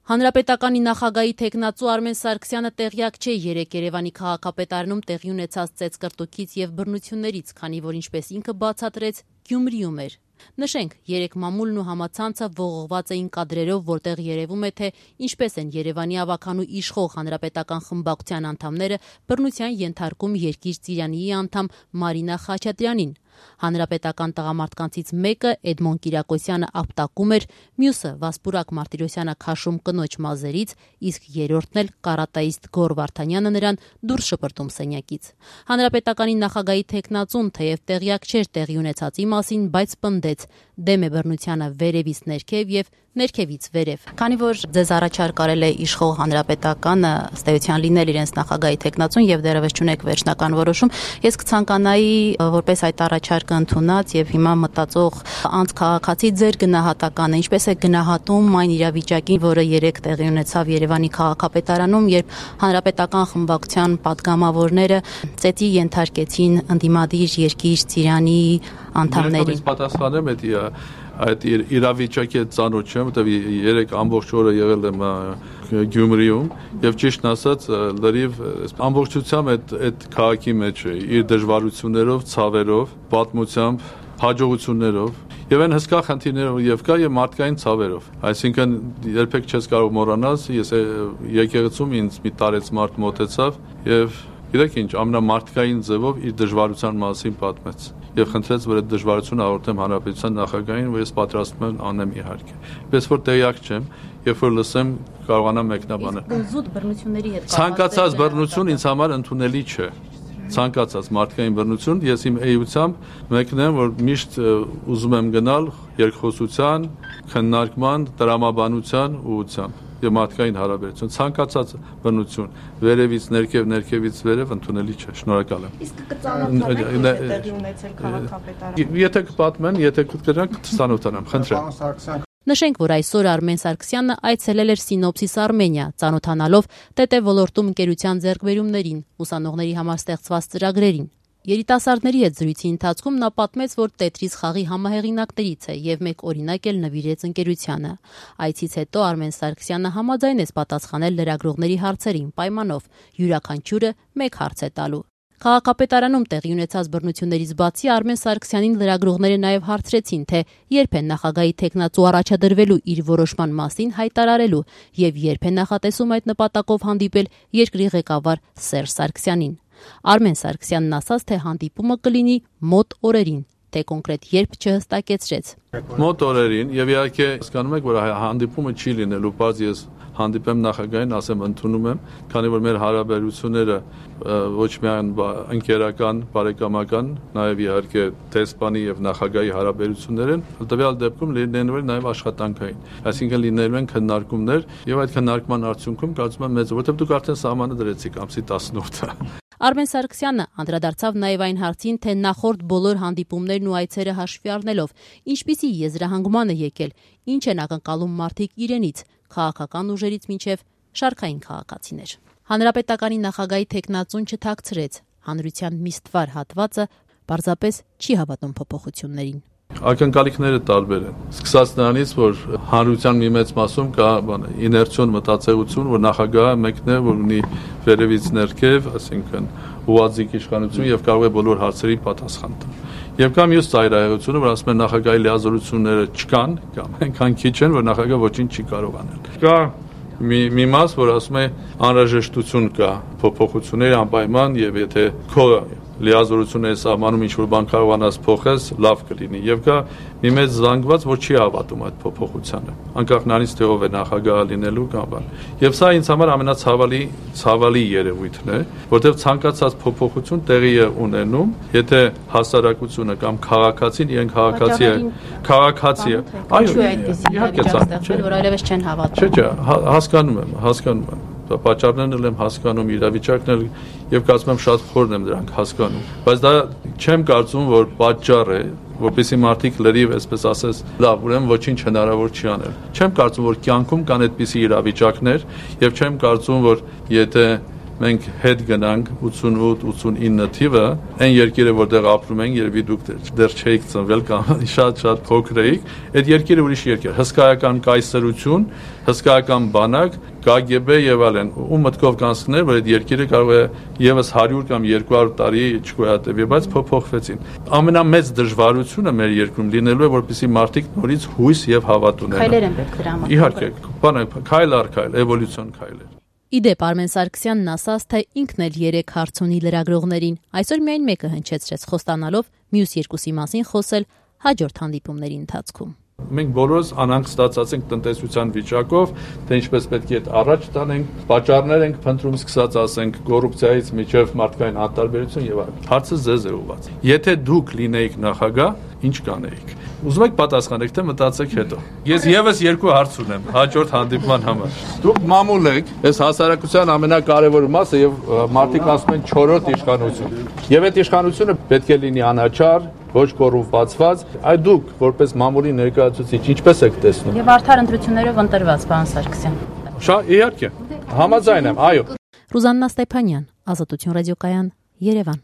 Հանրապետականի նախագահի թեկնածու Արմեն Սարգսյանը տեղյակ չէ երեկ Երևանի քաղաքապետարանում տեղի ունեցած ծեծկռտուքից եւ բռնություններից, քանի որ ինչպես ինքը բացատրեց, Գյումրիում էր։ Նշենք, երեկ մամուլն ու համացանցը ողողված էին կադրերով, որտեղ երևում է, թե ինչպես են Երևանի ավագանու իշխող հանրապետական խմբակցության անդամները բռնության ենթարկում Երկիր Ծիրանիի անդամ Մարինա Խաչատրյանին։ Հանրապետական տղամարդկանցից մեկը Էդմոն Կիրակոսյանը ապտակում էր, մյուսը Վասպուրակ Մարտիրոսյանը քաշում կնոջ մազերից, իսկ երրորդն էլ կարատայիստ Գոր Վարդանյանը նրան դուրս շպրտում սենյակից։ Հանրապետականի նախագահի թեկնածուն թեև տեղյակ չէր տեղի ունեցածի մասին, բայց պնդեց դեմ է բռնությանը վերևից ներքև եւ ներքևից վերև։ Քանի որ ձեզ առաջարկ արել է իշխող հանրապետականը ըստ էության լինել իրենց նախագահի թեկնածուն եւ դեռևս չունեք վերջնական որոշում, ես կցանկանայի որպես այդ առաջարկը ընդունած եւ հիմա մտածող անց քաղաքացի ձեր գնահատականը, ինչպես է գնահատում այն իրավիճակին, որը երեք տեղի ունեցավ Երևանի քաղաքապետարանում, երբ հանրապետական խմբակցության падգամավորները ծեծի ենթարկեցին ընդդիմադիր Երկիր Ծիրանի անդամներին։ Պատասխանեմ այդ իրավիճակի ծանոթ չեմ, որտեղ երեք ամբողջ օրը եղել եմ Գյումրիում եւ ճիշտն ասած լրիվ ամբողջությամբ այդ քաղաքի մեջ է իր դժվարություններով, ցավերով, պատմությամբ, հաջողություններով եւ այն հսկա խնդիրներով եւ կա եւ մարդկային ցավերով։ Այսինքն երբեք չես կարող մոռանալ, ես եկեղեցում ինձ մի տարեց մարդ մոտեցավ եւ գիտեք ինչ, ամենամարդկային ձևով իր դժվարության մասին պատմեց եւ խնդրեց, որ այդ դժվարությունը հաղորդեմ հանրապետության նախագահին, որ ես պատրաստ եմ անեմ իհարկե։ Պես որ տեղյակ չեմ, երբ որ լսեմ, կարողանամ մեկնաբանել։ Զուտ բռնությունների հետ ցանկացած բռնություն ինձ համար ընդունելի չէ։ Ցանկացած մարդկային բռնություն, ես իմ էությամբ մեկն եմ, որ միշտ ուզում եմ գնալ երկխոսության, քննարկման, տրամաբանության ուղղությամբ եւ մարդկային հարաբերություն, ցանկացած բռնություն վերևից ներքև, ներքևից վերև ընդունելի չէ։ Շնորհակալ եմ։ Իսկ կծանոթանաք տեղի ունեցել քաղաքապետարանում։ Եթե կպատմեն, եթե կգրանք կծանոթանամ, խնդրեմ։ Նշենք, որ այսօր Արմեն Սարգսյանը այցելել էր Սինոպսիս Արմենիա, ծանոթանալով ՏՏ ոլորտում ընկերության ձեռքբերումներին, ուսանողների համար ստեղծված ծրագրերին։ Երիտասարդների հետ զրույցի ընթացքում նա պատմեց, որ Տետրիս խաղի համահեղինակներից է եւ մեկ օրինակ էլ նվիրեց ընկերությանը։ Այցից հետո Արմեն Սարգսյանը համաձայնեց պատասխանել լրագրողների հարցերին պայմանով յուրաքանչյուրը մեկ հարց է տալու։ Քաղաքապետարանում տեղի ունեցած բռնություններից բացի Արմեն Սարգսյանին լրագրողները նաև հարցրեցին, թե երբ է նախագահի թեկնածու առաջադրվելու իր որոշման մասին հայտարարելու եւ երբ է նախատեսում այդ նպատակով հանդիպել երկրի ղեկավար Սերժ Սարգսյանին։ Արմեն Սարգսյանն ասաց, թե հանդիպումը կլինի մոտ օրերին, թե կոնկրետ երբ չհստակեցրեց։ Մոտ օրերին եւ իհարկե հասկանում եք, որ հանդիպումը չի լինելու, բայց ես հանդիպեմ նախագահին, ասեմ ընդունում եմ, քանի որ մեր հարաբերությունները ոչ միայն ընկերական, բարեկամական, նաև իհարկե դեսպանի եւ նախագահի հարաբերություններ են, տվյալ դեպքում լինելու են նաև աշխատանքային։ Այսինքն լինելու են քննարկումներ եւ այդ քննարկման արդյունքում կարծում եմ մեծ, որովհետեւ դուք արդեն սահմանը դրեցիք ամսի 18-ը։ Արմեն Սարգսյանը անդրադարձավ նաև այն հարցին, թե նախորդ բոլոր հանդիպումներն ու այցերը հաշվի առնելով ինչպիսի եզրահանգման է եկել, ինչ են ակնկալում մարդիկ իրենից, քաղաքական ուժերից մինչև շարքային քաղաքացիներ։ Հանրապետականի նախագահի թեկնածուն չթաքցրեց, հանրության միստվար հատվածը պարզապես չի հավատում փոփոխություններին։ Ակնկալիքները տարբեր են։ Սկսած նրանից, որ հանրության մի մեծ մասում կա իներցիոն մտածողություն, որ նախագահը մեկն է, որ ունի վերևից ներքև, այսինքն ուղղաձիգ իշխանություն եւ կարող է բոլոր հարցերի պատասխան տալ։ Եվ կա մյուս ծայրահեղությունը, որ ասում են նախագահի լիազորությունները չկան, կամ այնքան քիչ են, որ նախագահը ոչինչ չի կարող անել։ Կա մի մաս, որ ասում է անհրաժեշտություն կա փոփոխությունների անպայման եւ եթե քո լիազորությունների սահմանում ինչ-որ բան կարողանաս փոխես, լավ կլինի։ Եվ կա մի մեծ զանգված, որ չի հավատում այդ փոփոխությանը, անկախ նրանից թե ով է նախագահը լինելու կամ բան։ Եւ սա ինձ համար ամենացավալի երևույթն է, որտեղ ցանկացած փոփոխություն տեղի է ունենում, եթե հասարակությունը կամ քաղաքացին իրեն քաղաքացի է, այո, իհարկե այդպես որ այլևս չեն հավատում։ Չէ, հասկանում եմ։ Պատճառներն էլ եմ հասկանում, իրավիճակն էլ եւ կարծում եմ շատ խորն եմ դրանք հասկանում, բայց դա չեմ կարծում, որ պատճառ է, որպեսզի մարդիկ լրիվ, այսպես ասես, լավ, ուրեմն ոչինչ հնարավոր չի անել։ Չեմ կարծում, որ կյանքում կան այդպիսի իրավիճակներ եւ չեմ կարծում, որ եթե մենք հետ գնանք 88-89 թիվը, այն երկիրը, որտեղ ապրում ենք, երևի դուք դեռ չէիք ծնվել կամ շատ փոքր էիք, այդ երկիրը ուրիշ երկիր, հսկայական կայսրություն, հսկայական բանակ, KGB եւ այլն, ու մտքով կանցներ, որ այդ երկիրը կարող է եւս 100 կամ 200 տարի չգոյատևի, բայց փոփոխվեցին։ Ամենամեծ դժվարությունը մեր երկրում լինելու է, որպեսզի մարդիկ նորից հույս եւ հավատ ունենան։ Քայլեր են պետք դրա համար։ Իհարկե, քայլ առ քայլ, էվոլյուցիոն քայլեր։ Իդեպ Արմեն Սարգսյանն ասաց, թե ինքն էլ 3 հարց ունի լրագրողներին, այսօր միայն մեկը հնչեցրեց, խոստանալով մյուս երկուսի մասին խոսել հաջորդ հանդիպումների ընթացքում։ Մենք բոլորս անհանգ ստացած ենք տնտեսության վիճակով, թե ինչպես պետք է առաջ տանենք, պատճառներ ենք փնտրում, սկսած ասենք կոռուպցիայից մինչև մարդկային անտարբերություն եւ այլն։ Հարցը ձեզ է ուղղված։ Եթե դուք լինեիք նախագահ, ինչ կանեիք։ Ուզում եք պատասխանեք, թե մտածեք հետո։ Ես եւս 2 հարց ունեմ հաջորդ հանդիպման համար։ Դուք մամուլ եք, այս հասարակության ամենակարևոր մասը եւ մարդիկ ասում են 4-րդ իշխանություն։ Եվ այդ իշխանությունը պետք է լինի անաչառ, ոչ կոռումպացված, այ դուք որպես մամուլի ներկայացուցիչ ինչպես եք տեսնում։ Եվ արդար ընտրություններով ընտրված, պարոն Սարգսյան։ Իհարկե, համաձայն եմ, այո։ Ռուզաննա Ստեփանյան, Ազատություն ռադիոկայան, Երևան։